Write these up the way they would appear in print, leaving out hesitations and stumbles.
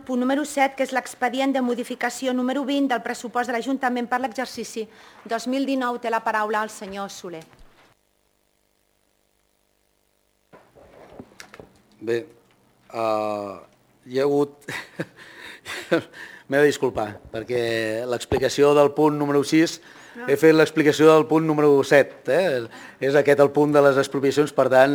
punt número 7, que és l'expedient de modificació número 20 del pressupost de l'Ajuntament per l'exercici 2019. Té la paraula el senyor Soler. Bé, hi ha hagut... M'he de disculpar, perquè l'explicació del punt número 6 he fet l'explicació del punt número 7. És aquest el punt de les expropiacions, per tant,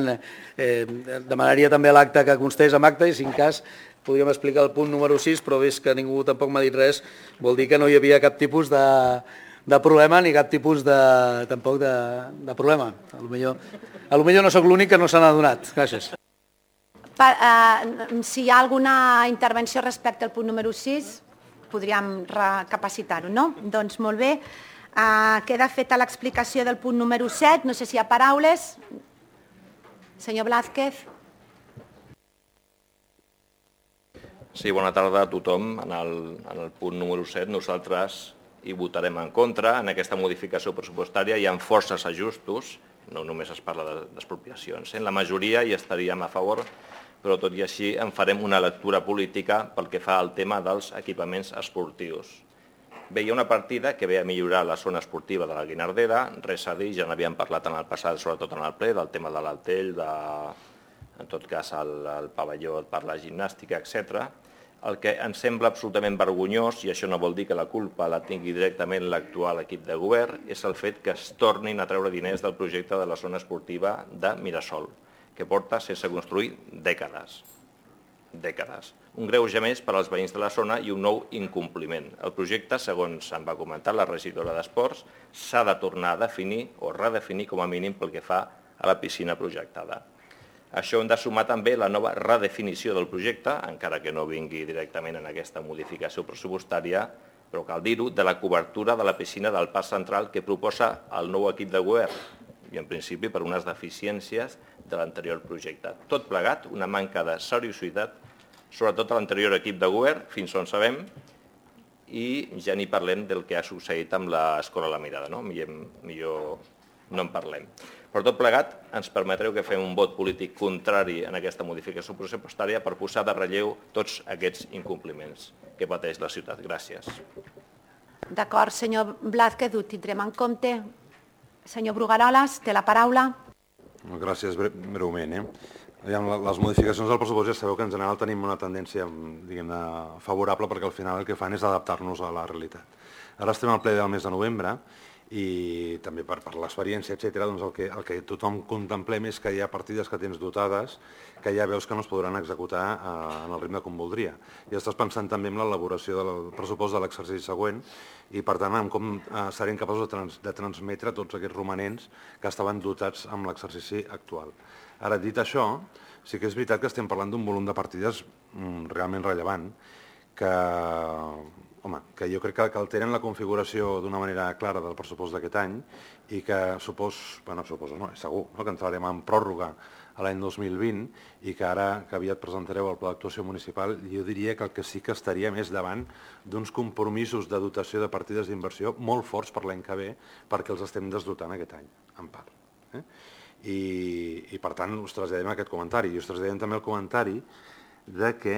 demanaria també a l'acte que constés amb acte i, si en cas, podríem explicar el punt número 6, però vist que ningú tampoc m'ha dit res, vol dir que no hi havia cap tipus de problema ni cap tipus tampoc de problema. Potser no sóc l'únic que no se n'ha adonat. Gràcies. Si hi ha alguna intervenció respecte al punt número 6, podríem recapacitar-ho, no? Doncs molt bé. Queda feta l'explicació del punt número 7. No sé si hi ha paraules. Senyor Blázquez. Sí, bona tarda a tothom. En el punt número 7 nosaltres hi votarem en contra. En aquesta modificació pressupostària hi ha forces ajustos, no només es parla d'expropiacions. En la majoria hi estaríem a favor, però tot i així en farem una lectura política pel que fa al tema dels equipaments esportius. Bé, hi ha una partida que ve a millorar la zona esportiva de la Guinardera, res a dir, ja n'havíem parlat en el passat, sobretot en el ple, del tema de l'Altell, en tot cas el pavelló per la gimnàstica, etc. El que ens sembla absolutament vergonyós, i això no vol dir que la culpa la tingui directament l'actual equip de govern, és el fet que es tornin a treure diners del projecte de la zona esportiva de Mirasol, que porta sense construir dècades. Un greuge més per als veïns de la zona i un nou incompliment. El projecte, segons em va comentar la regidora d'Esports, s'ha de tornar a definir o redefinir com a mínim pel que fa a la piscina projectada. Això hem de sumar també la nova redefinició del projecte, encara que no vingui directament en aquesta modificació pressupostària, però cal dir-ho, de la cobertura de la piscina del Parc Central que proposa el nou equip de govern, i en principi per unes deficiències de l'anterior projecte. Tot plegat, una manca de seriositat, sobretot a l'anterior equip de govern, fins on sabem, i ja ni parlem del que ha succeït amb l'Escola La Mirada, no? Millor no en parlem. Per tot plegat, ens permetreu que fem un vot polític contrari en aquesta modificació pressupostària per posar de relleu tots aquests incompliments que pateix la ciutat. Gràcies. D'acord, senyor Blázquez, ho tindrem en compte. Senyor Brugaroles, té la paraula. Gràcies, breument. Les modificacions del pressupost ja sabeu que en general tenim una tendència favorable perquè al final el que fan és adaptar-nos a la realitat. Ara estem al ple del mes de novembre i també per l'experiència, etc., el que tothom contemplem és que hi ha partides que tens dotades que ja veus que no es podran executar en el ritme com voldria. I estàs pensant també en l'elaboració del pressupost de l'exercici següent i, per tant, en com serem capaços de transmetre tots aquests romanents que estaven dotats amb l'exercici actual. Ara, dit això, sí que és veritat que estem parlant d'un volum de partides realment rellevant que jo crec que alteren la configuració d'una manera clara del pressupost d'aquest any i que és segur que entrarem en pròrroga a l'any 2020 i que ara que aviat presentareu el pla d'actuació municipal, jo diria que el que sí que estaria més davant d'uns compromisos de dotació de partides d'inversió molt forts per l'any que ve perquè els estem desdotant aquest any, en part. I per tant us traslladem aquest comentari i us traslladem també el comentari de que,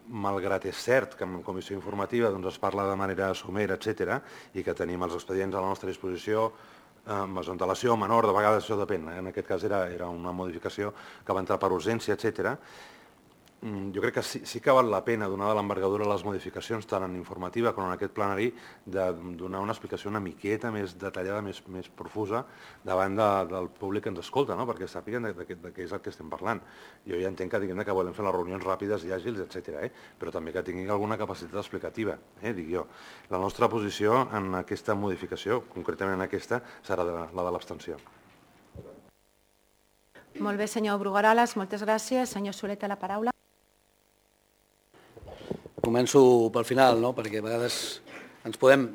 malgrat és cert que en comissió informativa es parla de manera somera, etc., i que tenim els expedients a la nostra disposició, amb antelació, menor, de vegades això depèn, en aquest cas era una modificació que va entrar per urgència, etc., jo crec que sí que val la pena, donada l'envergadura de les modificacions, tant en informativa com en aquest plenari, de donar una explicació una miqueta més detallada, més profusa, davant del públic que ens escolta, perquè sàpiguen de què és el que estem parlant. Jo ja entenc que volem fer les reunions ràpides i àgils, etc., però també que tinguin alguna capacitat explicativa, dic jo. La nostra posició en aquesta modificació, concretament en aquesta, serà la de l'abstenció. Molt bé, senyor Brugaroles, moltes gràcies. Senyor Soler, té la paraula. Començo pel final, perquè a vegades ens podem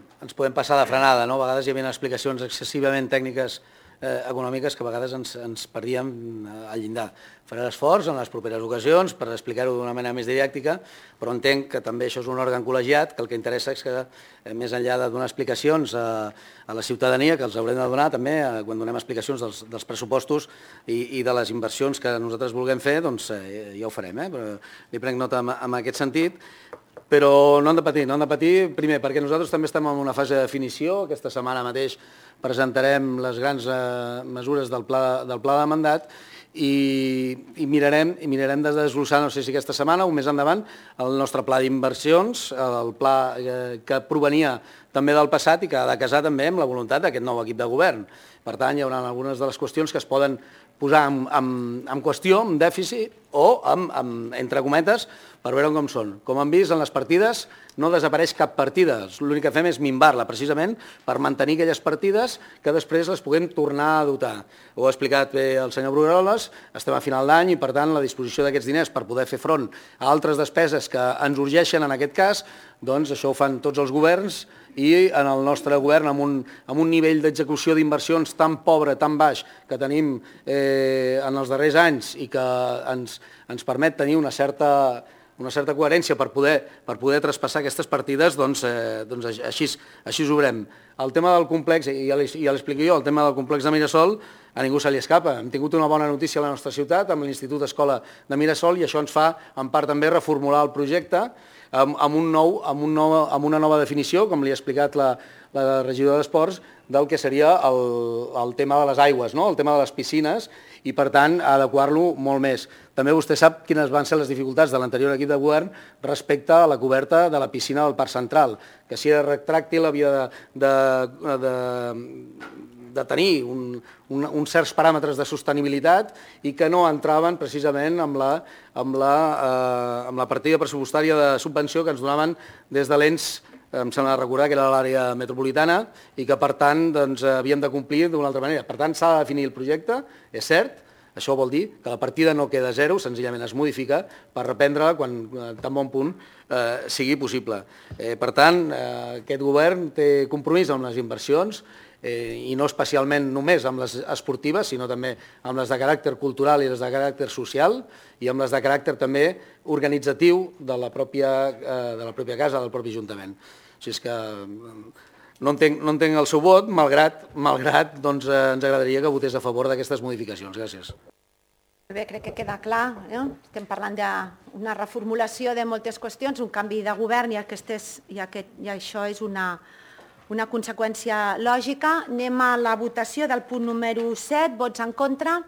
passar de frenada. A vegades hi havia explicacions excessivament tècniques econòmiques que a vegades ens perdíem al llindar. Faré l'esforç en les properes ocasions per explicar-ho d'una manera més didàctica, però entenc que també això és un òrgan col·legiat, que el que interessa és que, més enllà de donar explicacions a la ciutadania, que els haurem de donar també quan donem explicacions dels pressupostos i de les inversions que nosaltres vulguem fer, doncs ja ho farem, però li prenc nota en aquest sentit. Però no han de patir, primer, perquè nosaltres també estem en una fase de definició. Aquesta setmana mateix presentarem les grans mesures del pla de mandat i mirarem de desglossar, no sé si aquesta setmana o més endavant, el nostre pla d'inversions, el pla que provenia també del passat i que ha de casar també amb la voluntat d'aquest nou equip de govern. Per tant, hi haurà algunes de les qüestions que es poden posar en qüestió, en dèficit o, entre cometes, per veure com són. Com han vist, en les partides no desapareix cap partida. L'únic que fem és minvar-la, precisament, per mantenir aquelles partides que després les puguem tornar a dotar. Ho ha explicat bé el senyor Brugueroles, estem a final d'any i, per tant, la disposició d'aquests diners per poder fer front a altres despeses que ens urgeixen en aquest cas, doncs això ho fan tots els governs i en el nostre govern, amb un nivell d'execució d'inversions tan pobre, tan baix, que tenim en els darrers anys i que ens permet tenir una certa coherència per poder traspassar aquestes partides, doncs així ho veurem. El tema del complex, ja l'explico jo, el tema del complex de Mirasol, a ningú se li escapa. Hem tingut una bona notícia a la nostra ciutat, amb l'Institut Escola de Mirasol, i això ens fa, en part, també reformular el projecte amb una nova definició, com li ha explicat la regidora d'Esports, del que seria el tema de les aigües, el tema de les piscines, i, per tant, adequar-lo molt més. També vostè sap quines van ser les dificultats de l'anterior equip de govern respecte a la coberta de la piscina del Parc Central, que si era retràctil havia de tenir uns certs paràmetres de sostenibilitat i que no entraven precisament amb la partida pressupostària de subvenció que ens donaven des de l'ENS, em sembla recordar que era l'àrea metropolitana, i que, per tant, havíem de complir d'una altra manera. Per tant, s'ha de definir el projecte, és cert. Això vol dir que la partida no queda a zero, senzillament es modifica per reprendre-la quan tan bon punt sigui possible. Per tant, aquest govern té compromís amb les inversions i no especialment només amb les esportives, sinó també amb les de caràcter cultural i les de caràcter social i amb les de caràcter també organitzatiu de la pròpia casa, del propi Ajuntament. O sigui que no entenc el seu vot, malgrat ens agradaria que votés a favor d'aquestes modificacions. Gràcies. Bé, crec que queda clar. Estem parlant d'una reformulació de moltes qüestions, un canvi de govern i això és una conseqüència lògica. Anem a la votació del punt número 7, vots en contra.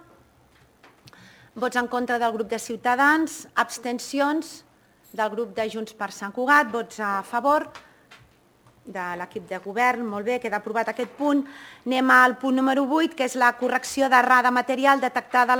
Vots en contra del grup de Ciutadans, abstencions del grup de Junts per Sant Cugat, vots a favor de l'equip de govern. Molt bé, queda aprovat aquest punt. Anem al punt número 8, que és la correcció d'errada material detectada a la